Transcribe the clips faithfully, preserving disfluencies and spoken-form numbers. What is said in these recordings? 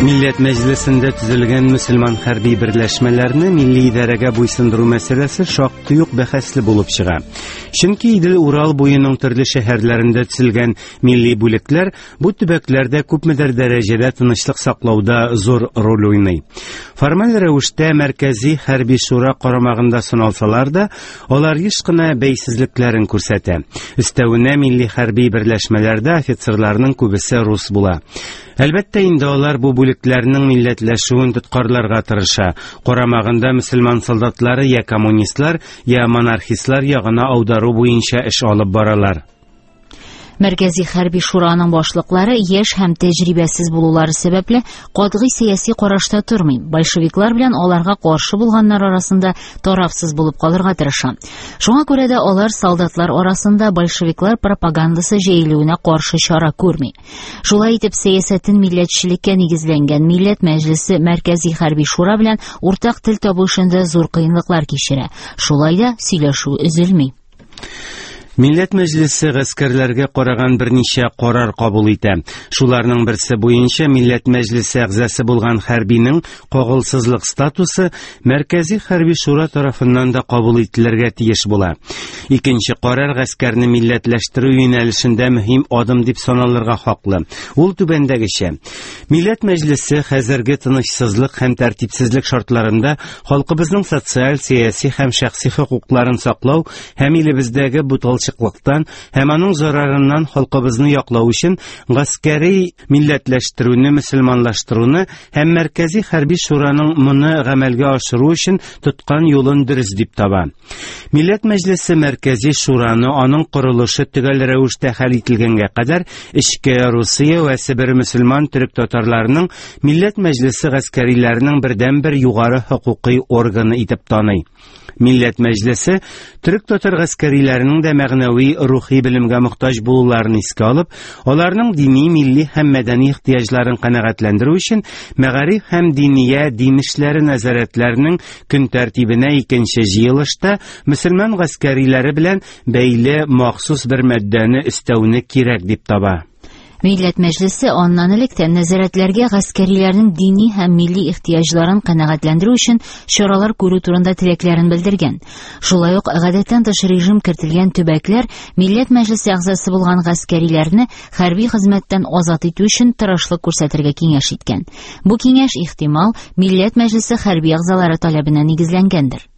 Милләт Мәҗлесендә төзелгән мөселман хәрби берләшмәләрне милли идарәгә буйсындыру мәсьәләсе шактый ук бәхәсле булып чыга. Чөнки Идел-Урал буеның төрле шәһәрләрендә төзелгән милли бүлекләр бу төбәкләрдә күпмедер дәрәҗәдә тынычлык саклауда зур роль уйный. Формаль рәвештә Мәркәзи хәрби шура карамагында саналсалар да, алар еш кына бәйсезлекләрен күрсәтә. Өстәвенә милли хәрби берләшмәләрдә офицерларның күбесе рус була. Әлбәттә инде алар бу бүлекләрнең милләтләшүен тоткарларга тырыша. Карамагында мөселман солдатлары я коммунистлар, я монархистлар ягына аудару буенча эш алып баралар. Мәркәзи хәрби шураның башлыклары яшь һәм тәҗрибәсез булулары сәбәпле катгый сәяси карашта тормый. Большевиклар белән аларга каршы булганнар арасында тарафсыз булып калырга тырыша. Шуңа күрә дә алар солдатлар арасында большевиклар пропагандасы җәелүенә каршы чара күрми. Шулай итеп, сәясәтен милләтчелеккә нигезләнгән Милләт Мәҗлесе Мәркәзи хәрби шура белән уртак тел табу эшендә зур кыенлыклар кичерә. Шулай да сөйләшү өзелми. Милләт Мәҗлесе гаскәрләргә караган берничә карар кабул итә. Шуларның берсе буенча Милләт Мәҗлесе әгъзасы булган хәрбинең кагылсызлык статусы Мәркәзи хәрби шура тарафыннан да кабул ителергә тиеш була. Икенче карар гаскәрне милләтләштерү юнәлешендә мөһим адым дип саналырга хаклы. Ул түбәндәгечә: Милләт Мәҗлесе хәзерге тынычсызлык һәм тәртипсезлек шартларында халкыбызның социаль, сәяси һәм шәхси хокукларын саклау һәм илебездәге буталчыклыктан һәм аның зарарыннан халкыбызны яклау өчен гаскәри милләтләштерүне, мөселманлаштыруны һәм Мәркәзи хәрби шураның моны гамәлгә ашыру өчен тоткан юлын дөрес дип таба. Милләт Мәҗлесе Мәркәзи шураны аның корылышы төгәл рәвештә хәл ителгәнгә кадәр эчке Русия вә Себер мөселман төрек татарларының Милләт Мәҗлесе гаскәриләренең бердәнбер югары хокукый органы итеп таный. Милләт Мәҗлесе төрек татар гаскәриләренең дә мәгънәви рухи белемгә мохтаҗ булуларын искә алып, аларның дини, милли һәм мәдәни ихтыяҗларын канәгатьләндерү өчен мәгариф һәм диния дин эшләре нәзарәтләренең көн тәртибенә икенче җыелышта мөселман гаскәриләре белән бәйле махсус бер маддәне өстәүне кирәк дип таба. Милләт Мәҗлесе аннан элек тә нәзарәтләргә гаскәриләрнең дини һәм милли ихтыяҗларын канәгатьләндерү өчен чаралар күрү турында теләкләрен белдергән. Шулай ук гадәттән тыш режим кертелгән төбәкләр Милләт Мәҗлесе әгъзасы булган гаскәриләрне хәрби хезмәттән азат итү өчен тырышлык күрсәтергә киңәш иткән. Бу киңәш ихтимал Милләт Мәҗлесе хәрби әгъзалары таләбенә нигезләнгәндер.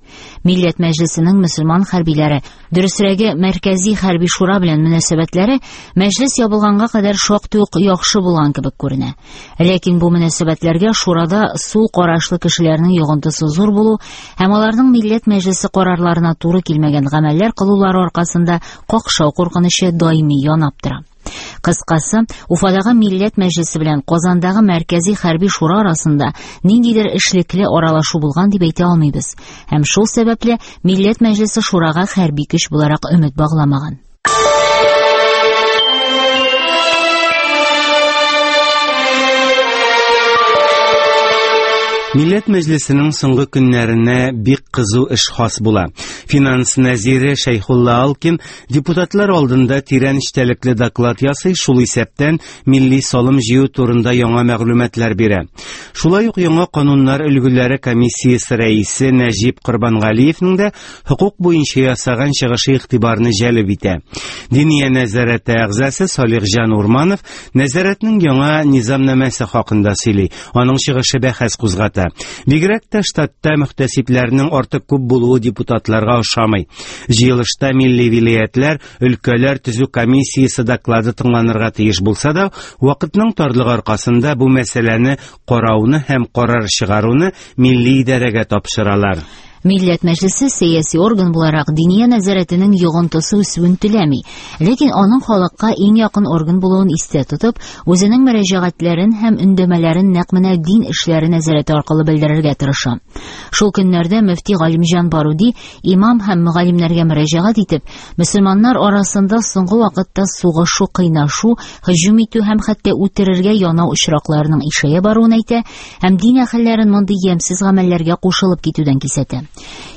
Милләт Мәҗлесенең мөселман хәрбиләре, дөресрәге Мәркәзи хәрби шура белән мөнәсәбәтләре мәҗлес ябылганга кадәр шактый ук яхшы булган кебек күренә. Ләкин бу мөнәсәбәтләргә шурада сул карашлы кешеләрнең йогынтысы зур булу һәм аларның Милләт Мәҗлесе карарларына туры килмәгән гамәлләр кылулары аркасында какшау куркынычы даими янап тора. Кыскасы, Уфадагы Милләт Мәҗлесе белән Казандагы Мәркәзи хәрби шура арасында ниндидер эшлекле аралашу булган дип әйтә алмыйбыз. Һәм шул сәбәпле Милләт Мәҗлесе шурага хәрби көч буларак өмет багламаган. Милләт Мәҗлесенең соңгы көннәренә бик кызу эш хас була. Финанс нәзире Шәйхулла Алкин депутатлар алдында тирән эчтәлекле доклад ясый, шул исәптән милли салым җыю турында яңа мәгълүматлар бирә. Шулай ук яңа кануннар өлгеләре комиссиясе рәисе Нәҗип Корбангалиевның да хокук буенча ясаган чыгышы игътибарны җәлеп итә. Диния нәзарәте әгъзасы Салихҗан Урманов нәзарәтнең яңа низамнамәсе хакында сөйли. Аның чыгышы бәхәс кузгата. Бигрәк тә штатта мөхтәсибләрнең артык күп булуы депутатларга ошамый. Җыелышта милли вилаятлар, өлкәләр төзү комиссиясе доклады тыңланырга тиеш булса да, вакытның тарлыгы аркасында бу мәсьәләне карауны һәм карар чыгаруны милли идарәгә тапшыралар. Милләт Мәҗлесе сәяси орган буларак диния нәзарәтенең йогынтысы үсүен теләми, ләкин аның халыкка иң якын орган булуын истә тотып, үзенең мөрәҗәгатьләрен һәм өндәмәләрен нәкъ менә дин эшләре нәзарәте аркылы белдерергә тырыша. Шул көннәрдә мөфти Галимҗан Баруди имам һәм мөгаллимнәргә мөрәҗәгать итеп, мөселманнар арасында соңгы вакытта сугышу, кыйнашу, һөҗүм итү һәм хәтта үтерергә янау очракларының ишәя баруын әйтә һәм дин әһелләрен мондый ямьсез гамәлләргә кушылып китүдән кисәтә.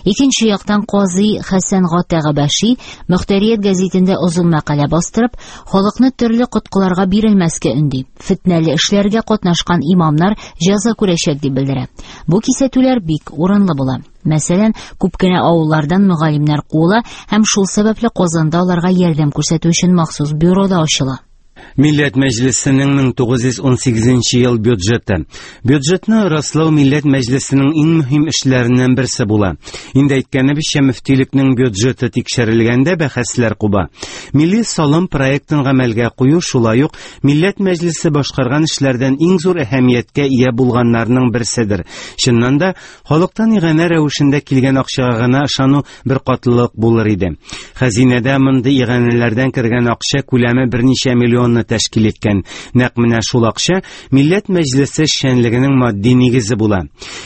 Икенче яктан казый Хәсән Гата Габәши Мөхтәрият гәзитендә озын мәкалә бастырып, халыкны төрле коткыларга бирелмәскә өнди. Фетнәле эшләргә катнашкан имамнар җәза күрәчәк дип белдерә. Бу кисәтүләр бик урынлы була. Мәсәлән, күп кенә авыллардан мөгаллимнәр куыла һәм шул сәбәпле Казанда аларга ярдәм күрсәтү өчен махсус бюро да ачыла. Милләт Мәҗлесенең мең тугыз йөз унсигезенче ел бюджеты. Бюджетны раслау Милләт Мәҗлесенең иң мөһим эшләреннән берсе була. Инде әйткәнебезчә, мөфтилекнең бюджеты тикшерелгәндә бәхәсләр куба. Милли салым проектын гамәлгә кую шулай ук Милләт Мәҗлесе башкарган эшләрдән иң зур әһәмияткә ия булганнарның берседер. Чыннан да, халыктан иганә рәвешендә килгән акчага гына ышану бер катлылык булыр иде. Хәзинәдә мондый иганәләрдән кергән акча күләме берничә миллионны тәшкил иткән. Нәкъ менә шул акча Милләт Мәҗлесе эшчәнлегенең матди нигезе була.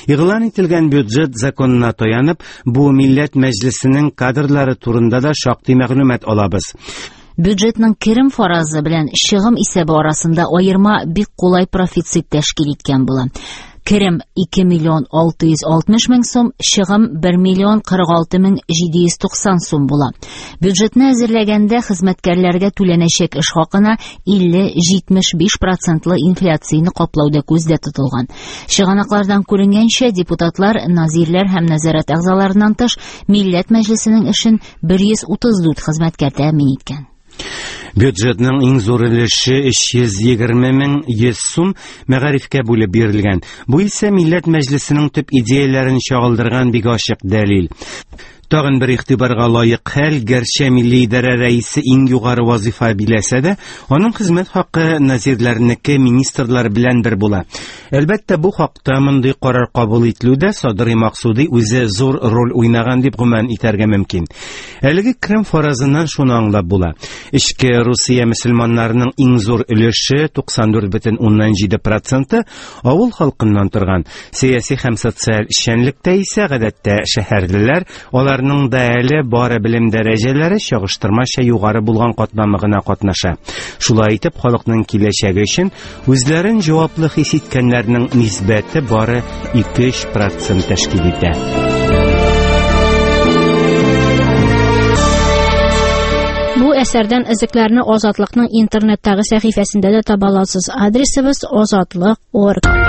Игълан ителгән бюджет законына таянып, бу Милләт Мәҗлесенең кадрлары турында да шактый мәгълүмат алабыз. Бюджетның керем фаразы белән чыгым исәбе арасында аерма бик кулай профицит тәшкил иткән була. Керем ике миллион алты йөз алтмыш мең сум, чыгым бер миллион кырык алты мең җиде йөз туксан сум була. Бюджетны әзерләгәндә хезмәткәрләргә түләнәчәк эш хакына илле җитмеш биш процентлы инфляцияне каплау да күздә тотылган. Чыганаклардан күренгәнчә, депутатлар, назирләр һәм нәзарәт әгъзаларыннан тыш Милләт Мәҗлесенең эшен бер йөз утыз дүрт хезмәткәр тәэмин иткән. Бюджетның иң зур өлеше өч йөз егерме мең йөз сум мәгарифкә бүлеп бирелгән. Бу исә Милләт Мәҗлесенең төп идеяләрен чагылдырган бик ачык дәлил. Тагын бер игътибарга лаек хәл, гәрчә Милли идарә рәисе иң югары вазифа биләсә дә, аның хезмәт хакы назирләрнеке министрлар белән бер була. Әлбәттә, бу хакта мондый карар кабул ителүдә Садри Максуди үзе зур роль уйнаган дип гөман итәргә мөмкин. Әлеге керем фаразыннан шуны аңлап була. Эчке Русия мөселманнарының иң зур өлеше туксан дүрт бөтен уннан җиде проценты авыл халкыннан торган. Сәяси һәм социаль эшчәнлектә исә гадәттә шәһәрлеләр, алар Аларның да әле бары белем дәрәҗәләре чагыштырмача югары булган катламы гына катнаша. Шулай итеп, халыкның киләчәге өчен үзләрен җаваплы хис иткәннәрнең нисбәте бары ике-өч процент тәшкил итә. Бу әсәрдән өзекләрне Азатлыкның интернеттагы сәхифәсендә дә таба аласыз. Адресыбыз азатлык точка орг.